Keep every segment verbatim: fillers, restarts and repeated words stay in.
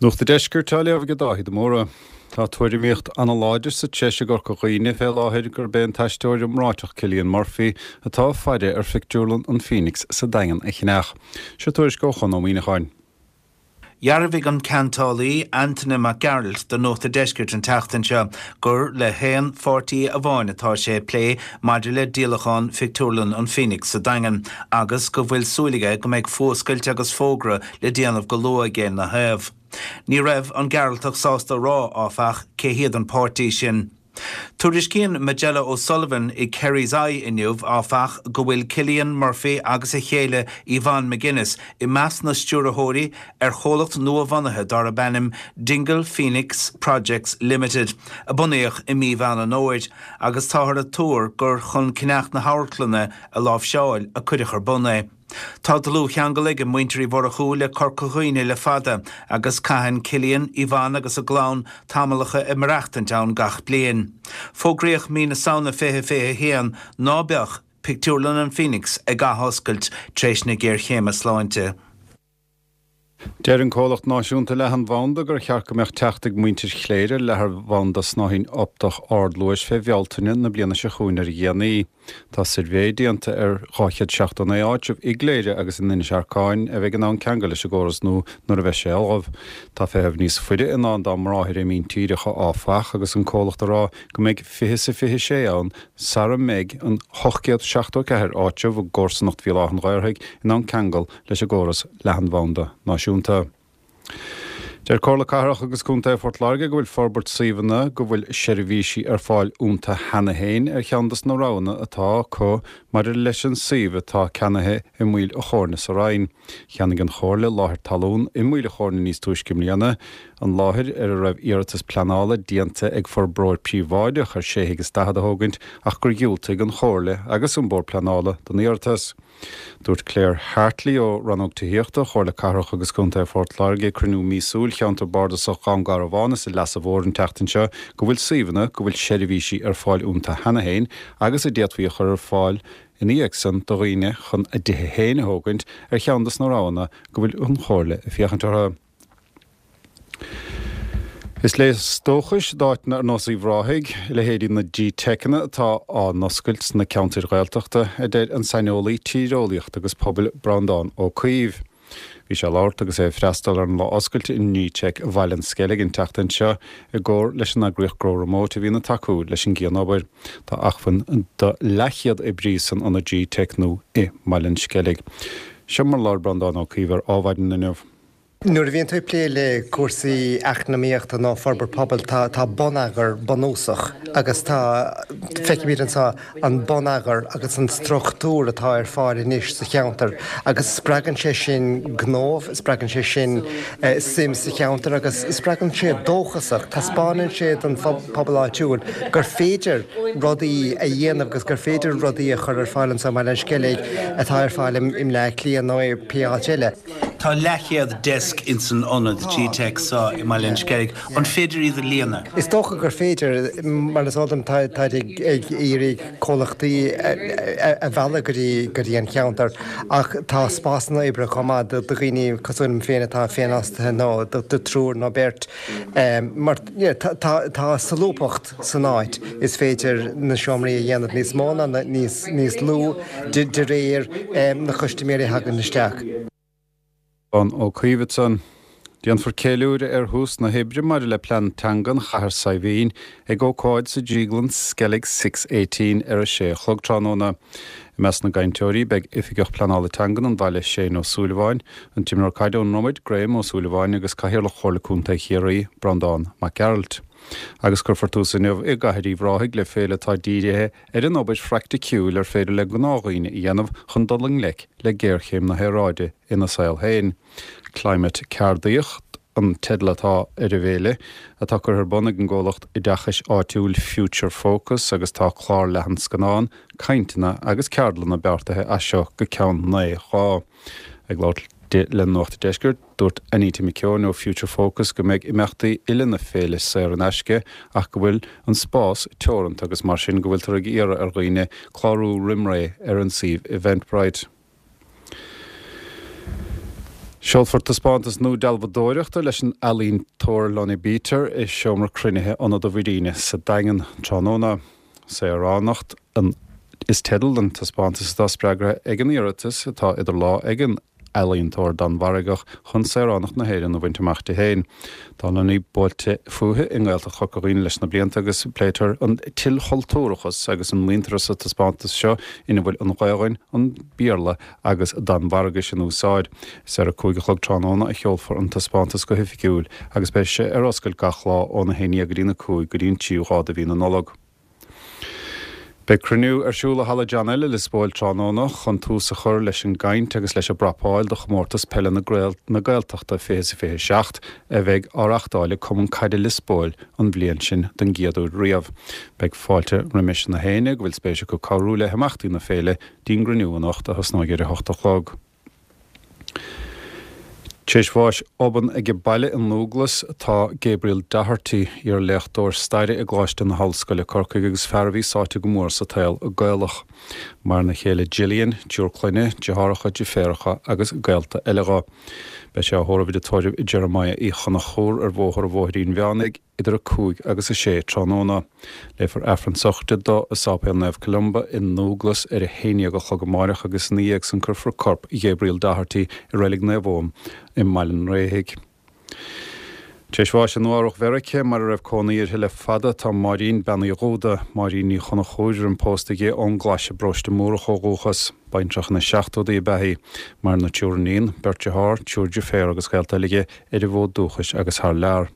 Nuacht an Deiscirt á léamh ag Dáithí de Mórdha. Tá tuairimíocht an-láidir sa treis i gCorca Dhuibhne fé láthair gurb é an t-aisteoir iomráiteach Cillian Murphy atá ag faire ar phictiúrlann an Phoenix sa Daingean a cheannach. Seo tuairisc ó Chon Ó Muíneacháin. Dhearbhaigh an ceantálaí Antaine Mac Gearailt do Nuacht an Deiscirt an tseachtain seo gur le haon pháirtí amháin atá sé ag plé maidir le díolachán phictiúrlann an Phoenix sa Daingean agus go bhfuil súil aige go mbeidh fuascailt agus fógra le déanamh go luath aige ina thaobh. Ní raibh an Gearaltach sásta rá áfach cé hiad an páirtí sin. Tuairiscíonn Majella O'Sullivan i Kerry's Eye inniu áfach go bhfuil Cillian Murphy agus a chéile Yvonne McGuinness i measc na stiúrthóirí ar chomhlacht nua-bhunaithe darb ainm Dingle Phoenix Projects Limited a bunaíodh i mí Mheán an Fhómhair agus táthar ag tuar gur chun ceannach na hamharclainne a láimhseáil a cuireadh ar bun é. Tá dlúthcheangal ag muintir Uí Mhurchú le Corca Dhuibhne le fada agus caitheann Cillian, Yvonne agus a gclann tamallacha ag maireachtaint ann gach bliain. Fógraíodh mí na Samhna fiche fiche a haon ná beadh pictiúrlann an Phoenix ag athoscailt tar éis na géarchéime sláinte. Deir an comhlacht náisiúnta leathanbhanda gur cheart go mbeadh teacht ag muintir Chléire ar leathanbhanda snáithín optach ardluais fé Bhealtaine na bliana seo chugainn ar a dhéanaí. Tá suirbhé déanta ar dhá chéad seachtó naoi áitreabh i gCléire agus in Inis Arcáin a bheidh in ann ceangal leis an gcóras nua nuair a bheidh sé ullamh. Tá feitheamh níos faide i ndán dá mbráthair i míntíreacha áfach agus an comhlacht ag rá go mbeidh fiche is a fiche sé ann sara mbeidh an ocht gcéad seachtó ceathair áitreabh i gcomharsanacht Bhéal Átha an Ghaorthaidh in ann ceangal leis an gcóras leathanbhanda náisiúnta. Deir Comhairle Cathrach agus Contae Phort Láirge go bhfuil forbairt suíomhanna go bhfuil seirbhísí ar fáil iontu cheana féin ar cheann de na roghanna atá acu maidir leis an suíomh atá ceannaithe i Maoil a' Chóirne sa Rinn. Cheannaigh an Chomhairle láthair talún i Maoil a' Chóirne níos túisce i mbliana, an láthair ar a raibh iarratas pleanála déanta ag forbróir príobháideach ar sé thigh is daichead a thógaint ach gur dhiúltaigh an Chomhairle agus an Bord Pleanála don iarratas. Dúirt Claire Hartley ó Rannóg Tithíochta Chomhairle Cathrach agus Contae Phort Láirge ag cruinniú míosúil Cheantar Bardasach Dhún Garbhán is an Leasa Mhóir an tseachtain seo go bhfuil suíomhanna go bhfuil seirbhísí ar fáil iontu cheana féin agus a d'fhéadfaí a chur ar fáil ina dhiaidh san do dhaoine chun a dtithe féin a thógaint ar cheann de na roghanna go bhfuil an Chomhairle ag féachaint orthu. Is léas dóchais d'áiteanna ar nós Uíbh Ráthaigh, leithéidí na G-Teiceanna atá á n-oscailt sna ceantair Ghaeltachta, a deir an saineolaí tíreolaíochta agus pobail Breandán Ó Caoimh. Bhí sé ag labhairt agus é ag freastal ar an lá oscailte i nG-Teic Bhaile an Sceilg an tseachtain seo i gcomhar leis an eagraíocht Grow Remote a bhíonn ag tacú leis an gcianobair. Tá acmhainn do leathchéad oibrí san ionad G-Teic nua i mBaile an Sceilg. Seo mar a labhair Breandán Ó Caoimh ar Adhmhaidin inniu. Nuair a bhíonn tú ag plé le cúrsaí eacnamaíochta nó forbairt pobail, tá tá bonneagar bunúsach agus tá feicimid anseo an bonneagar agus an struchtúr atá ar fáil anois sa cheantar agus spreagann sé sin gnó, spreagann sé sin suim sa cheantar agus spreagann sé dóchasach, taispeánann sé don phobal áitiúil gur féidir rudaí a dhéanamh agus gur féidir rudaí a chur ar fáil anseo i mBaile an Sceilg atá ar fáil i mBleá Cliath nó i pé áit eile. Tá leathchéad deasc ins an ionad G-Tech seo i mBaile an Sceilg. An féidir iad a líonadh? Is dócha gur féidir. Mar is eol dom táid ag iarraidh comhlachtaí a mhealladh go dtí go dtí an cheantar ach tá spásanna oibre chomh maith do dhaoine cosúil liom féin atá féinfhostaithe nó do triúr nó beirt mar tá tá solúbthacht san áit. Is féidir na seomraí a dhéanamh níos mó nó níos níos lú de réir na custaiméirí a thagann isteach. Breandán Ó Caoimh ansan. Déanfar ceiliúradh ar thús na hoibre maidir le plean teanga an Chathair Saidhbhín ag ócáid sa Drioglann Skellig Six Eighteen ar a sé a chlog tráthnóna. I measc na gcainteoirí beidh Oifigeach Pleanála Teangan an bhaile Shane Ó Súilleabháin, an t-imreoir caide ón nDromaid Graham Ó Súilleabháin agus Cathaoirleach Chomhairle Contae Chiarraí, Breandán Mac Gearailt. Agus cuirfear tús inniu i gCathair Uíbh Ráthaigh le féile atá dírithe ar an obair phraiticiúil ar féidir le gnáthdhaoine a dhéanamh chun dul i ngleic le géarchéim na haeráide ina saol féin. Climate Ceardaíocht an teideal atá ar an bhféile, atá curtha ar bun ag an gcomhlacht oideachais áitiúil Future Focus agus tá clár leathan scannán, cainteanna agus ceardlanna beartaithe as seo go ceann naoi lá. Ag labhairt di le Nuacht an Deiscirt, dúirt Anita McKeown ó Future Focus go mbeidh imeachtaí uile na féile saor in aisce ach go bhfuil an spás teoranta agus mar sin go bhfuiltear ag iarraidh ar dhaoine clárú roimh ré ar an suíomh Eventbrite. Seolfar taispeántas nua dealbhádóireachta leis an ealaíontóir Lonnie Beater i seomra cruinnithe Ionad an Mhuiríne sa Daingean tráthnóna. Saoránacht an is teideal don taispeántas atá spreagtha ag an iarratas atá idir lámha ag an ealaíontóir Danmhargach chun saoránacht na hÉireann a bhaint amach di féin. Tá Lonnie buailte fúithi i nGaeltacht Chorca Dhuibhne leis na blianta agus pléitear an t-ilchultúrachas agus an muintearas sa taispeántas seo ina bhfuil an Ghaelainn, an Béarla agus Danmhairgis in úsáid. Is ar a cúig a chlog tráthnóna a sheolfar an taispeántas go hoifigiúil agus beidh sé ar oscailt gach lá óna haon déag go dtí na cúig go dtí an tríú lá de mhí na Nollag. Beidh cruinniú ar siúl i Halla John L i Lios Póil tráthnóna chun tús a chur leis an gcaint agus leis an bprapáil do chomórtas peile na Gaeltachta fiche is a fiche seacht a bheidh á reáchtáil ag Cumann Caide Lios Póil an bhliain sin don gcéad uair riamh. Beidh fáilte roimis na héinne go bhfuil spéis acu cabhrú le himeachtaí na féile dtí'n gcruinniú anocht a thosnóidh ar a hocht a chlog. Tar éis bháis obann age baile i nDúglas atá Gabriel Doherty, iar-léachtóir staire i gColáiste na hOllscoile Corcaigh agus fear a bhí sáite go mór sa tsaol Gaelach. Maireann a chéile Gillian, triúr clainne, deartháireacha, deirfiúracha agus gaolta eile dho. Beidh sé á thórramh i dtórramh Jeremiah Uí Chonchúir ar Bhóthar an Bhóithrín Mheánaigh idir a cúig agus a sé tráthnóna. Léifear Aifreann sochraide dó i Sáipéal Naomh Columba i nDúglas ar a haon déag a chlog amáireach agus ina dhiaidh san cuirfear corp Ghabriel Doherty i Reilig Naomh Eoin i mBaile an Réithigh. Tar éis bháis i Nua-Eabhrac Mheiriceá, mar a raibh cónaí uirthi le fada, tá Máirín, Bean Uí Dhúda, Máirín Ní Chonchúir, roim pósta di, ón gClais i bParóiste Múrach ó dhúchas. Baintreach ina seachtóidí ab ea í. Maireann a triúr iníon, beirt dearthár, triúr deirféar agus gaolta eile di ar an bhfód dúchais agus thar lear.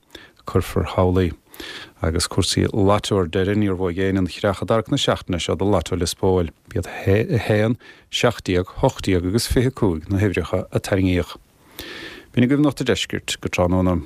Cuirfear thall í. Agus cúrsaí Lotto ar deireadh, níor bhuaigh éinne an chreach i dtarrac na seachtaine seo do Lotto Lios Póil. B'iad a haon, seacht déag, hocht déag agus fiche cúig na huimhreacha a tarraingíodh. B'in agaibh Nuacht an Deiscirt go tráthnóna.